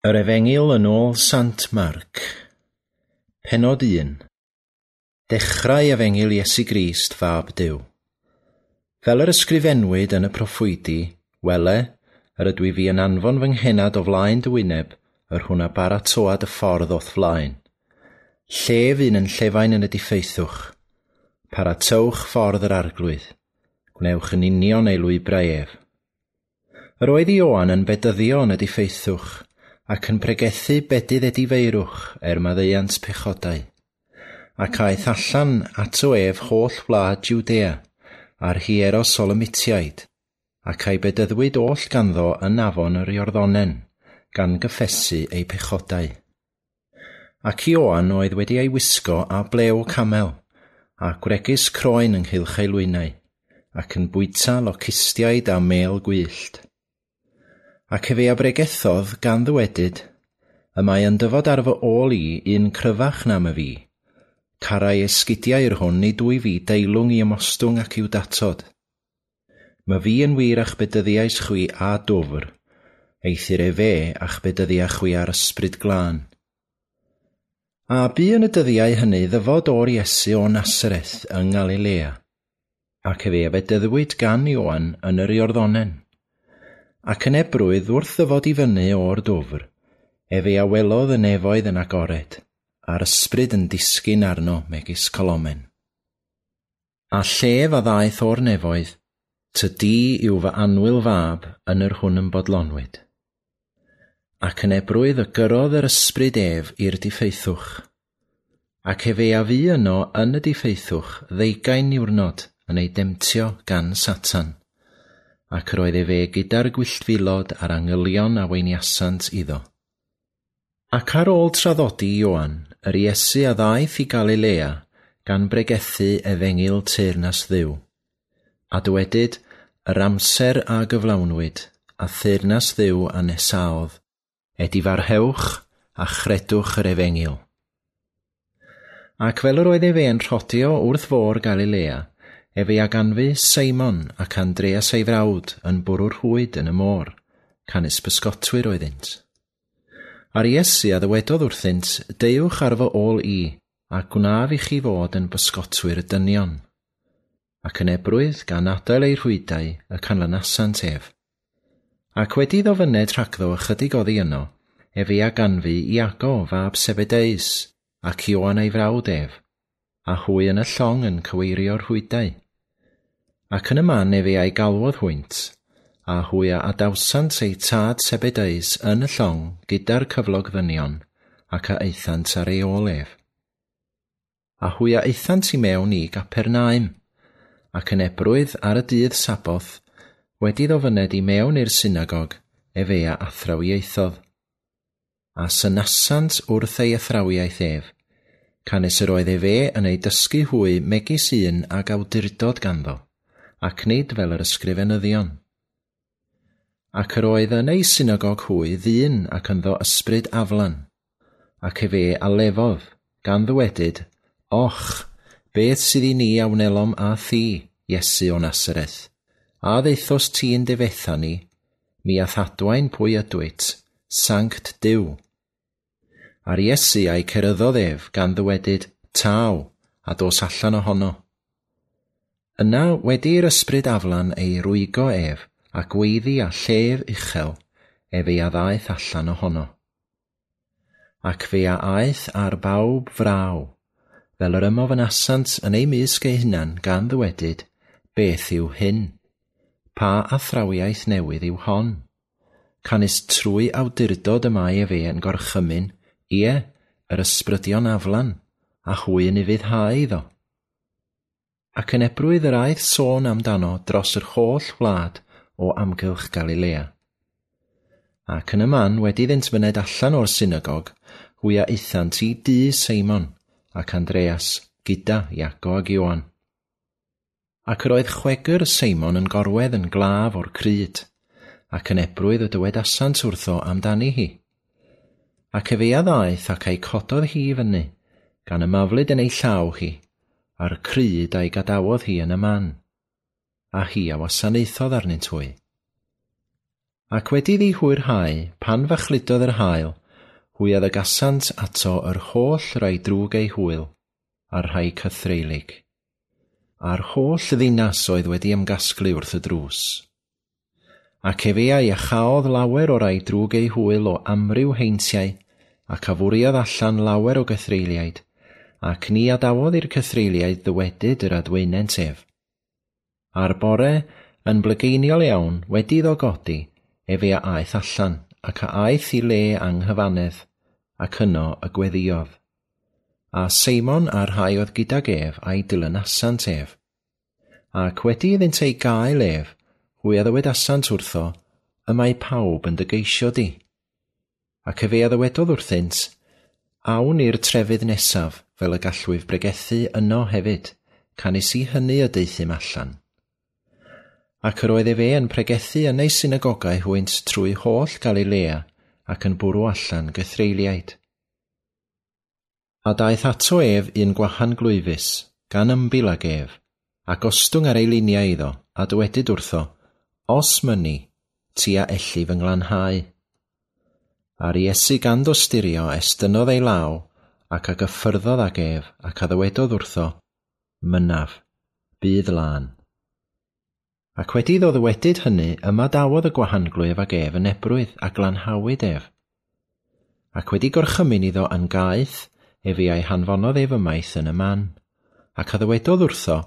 Yr Efengyl yn ôl Sant Marc. Pennod 1. Dechrau Efengyl Iesu Grist, Fab Duw. Fel yr ysgrifennwyd yn y proffwydi, wele, yr ydw i fi yn anfon fy nghenad o flaen dy wyneb, yr hwn a baratoad y ffordd o'th flaen. Llef un yn llefain yn y diffeithwch. Paratowch ffordd yr arglwydd. Gwnewch yn union ei lwybrau ef. Yr oedd Ioan yn bedyddio yn y diffeithwch, ac yn pregethu bedydd edifeirwch er maddeuant pechodau. Ac aeth allan ato ef holl wlad Jwdea, a'r Hierosolymitiaid, ac a'i bedyddwyd oll ganddo yn afon yr Iorddonen, gan gyffesu ei pechodau. Ac Ioan oedd wedi ei wisgo â blew camel, a gwregys croen ynghylch ei lwynau, ac yn bwyta locustiaid a mêl gwyllt. Ac efe a bregethodd gan ddywedyd, y mae yn dyfod ar fy ôl i un cryfach na my fi. Carai esgidiau i'r hwn nid wyf fi deilwng i ymostwng ac i'w datod. My fi yn wir a'ch bedyddiais chwi a dwfr, eithr efe a'ch bedyddia chwi ar ysbryd glân. A bu yn y dyddiau hynny ddyfod o'r Iesu o Nasareth yng Ngalilea, ac efe a fedyddwyd gan Ioan yn yr Iorddonen. Ac yn ebrwydd wrth ddyfod i fyny o'r dwfr, efe a welodd y nefoedd yn agored, a'r ysbryd yn disgyn arno megis colomen. A llef a ddaeth o'r nefoedd, ty di yw fy annwyl fab yn yr hwn yn bodlonwyd. Ac yn ebrwydd y gyrrodd yr ysbryd ef i'r diffeithwch. Ac efe a fu yno yn y diffeithwch ddeugain niwrnod yn ei demtio gan Satan. Ac yr oedd efe gyda'r gwylltfilod a'r angylion a weiniasant iddo. Ac ar ôl traddodi Ioan, yr Iesu a ddaeth i Galilea gan bregethu efengyl teyrnas Dduw. A dywedyd, yr amser a gyflawnwyd, a theyrnas Dduw a nesaodd, edifarhewch a chredwch yr efengyl. Ac fel yr oedd efe yn rhodio wrth fôr Galilea, efe a ganfu Seimon ac Andreas ei frawd yn bwrw'r rhwyd yn y môr, canys bysgotwyr oeddynt. A'r Iesu a ddywedodd wrthynt, deuwch ar fy ôl i, a gwnaf i chi fod yn bysgotwyr dynion. Ac yn ebrwydd, gan adael eu rhwydau, y canlynasant ef. Ac wedi iddo fyned rhagddo ychydig oddi yno, efe a ganfu Iago fab Sebedeus, ac Ioan ei frawd ef, a hwy yn y llong yn cyweirio'r rhwydau. Ac yn y man efe a'i galwodd hwynt, a hwy a adawsant eu tad Sebedeus yn y llong gyda'r cyflog ddynion, ac a aethant ar ei ôl ef. A hwy a aethant i mewn i Gapernaum, ac yn ebrwydd ar y dydd Saboth, wedi iddo fyned i mewn i'r synagog, efe a athrawiaethodd. A synasant wrth ei athrawiaeth ef, canys yr oedd efe yn ei dysgu hwy megis un ag awdurdod ganddo, ac nid fel yr ysgrifenyddion. Ac yr oedd yn ei synagog hwy ddyn ac ynddo ysbryd aflan, ac efe a lefodd, gan ddywedyd, Och, beth sydd i ni a wnelom â thi, Iesu o Nasareth? A ddaethost ti yn difetha ni? Mi a'th adwaen pwy ydwyt, Sanct Duw. A'r Iesu a'i ceryddodd ef, gan ddywedyd, Taw, a dos allan ohono. Yna, wedi i'r ysbryd aflan ei rwygo ef, a gweiddi â llef uchel, efe a ddaeth allan ohono. Ac fe a aeth ar bawb fraw, fel yr ymofynasant yn eu mysg eu hunan gan ddywedyd, beth yw hyn? Pa athrawiaeth newydd yw hon? Canys trwy awdurdod y mae efe yn gorchymyn, ie, yr ysbrydion aflan, a hwy yn ufuddhau iddo. Ac yn ebrwydd yr aeth sôn amdano dros yr holl wlad o amgylch Galilea. Ac yn y man, wedi iddynt fyned allan o'r synagog, hwy a aethant i dŷ Seimon ac Andreas, gyda Iago ac Ioan. Ac yr oedd chwegr Seimon yn gorwedd yn glaf o'r cryd, ac yn ebrwydd y dywedasant wrtho amdani hi. Ac efe a ddaeth ac a'i cododd hi i fyny, gan ymaflyd yn ei llaw hi, a'r cryd a'i gadawodd hi yn y man, a hi a wasanaethodd arnynt hwy. Ac wedi iddi hwyrhau, pan fachludodd yr haul, hwy a ddygasant ato yr holl rai drwg eu hwyl, a'r rhai cythreulig. A'r holl ddinas oedd wedi ymgasglu wrth y drws. Ac efe a iachaodd lawer o rai drwg eu hwyl o amryw heintiau, ac a fwriodd allan lawer o gythreuliaid, ac ni adawodd i'r cythreuliaid ddywedyd yr adwaenent ef. A'r bore, yn blygeiniol iawn, wedi iddo godi, efe a aeth allan, ac a aeth i le anghyfannedd, ac yno y gweddïodd. A Seimon a'r rhai oedd gydag ef a'i dilynasant ef. Ac wedi iddynt ei gael ef, hwy a ddywedasant wrtho, y mae pawb yn dy geisio di. Ac efe a ddywedodd wrthynt, awn i'r trefydd nesaf, fel y gallwyf bregethu yno hefyd, canys i hynny y deuthum allan. Ac yr oedd efe yn pregethu yn eu synagogau hwynt trwy holl Galilea, ac yn bwrw allan gythreuliaid. A daeth ato ef un gwahan glwyfus, gan ymbil ag ef, a gostwng ar ei liniau iddo, a dywedyd wrtho, os mynni, ti a elli fy nglanhau. A'r Iesu gan dosturio estynnodd ei law, ac a gyffyrddodd ag ef, ac a ddywedodd wrtho, mynaf, bydd lân. Ac wedi iddo ddywedyd hynny, ymadawodd y gwahanglwyf ag ef yn ebrwydd, a glanhawyd ef. Ac wedi gorchymyn iddo yn gaeth, efe a'i hanfonodd ef ymaith yn y man, ac a ddywedodd wrtho,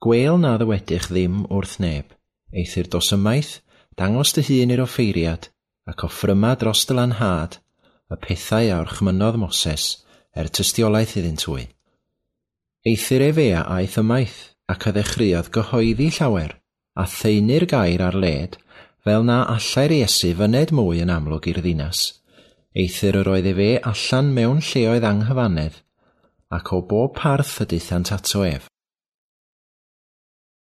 gwêl na ddywedych ddim wrth neb, eithr dos ymaith, dangos dy hun i'r offeiriad, ac offryma dros dy lanhad, y pethau a orchmynnodd Moses, er tystiolaeth iddynt hwy. Eithr efe a aeth ymaith, ac a ddechreuodd gyhoeddi llawer, a thaenu'r gair ar led, fel na allai'r Iesu fyned mwy yn amlwg i'r ddinas, eithr yr oedd efe allan mewn lleoedd anghyfannedd, ac o bob parth y daethant ato ef.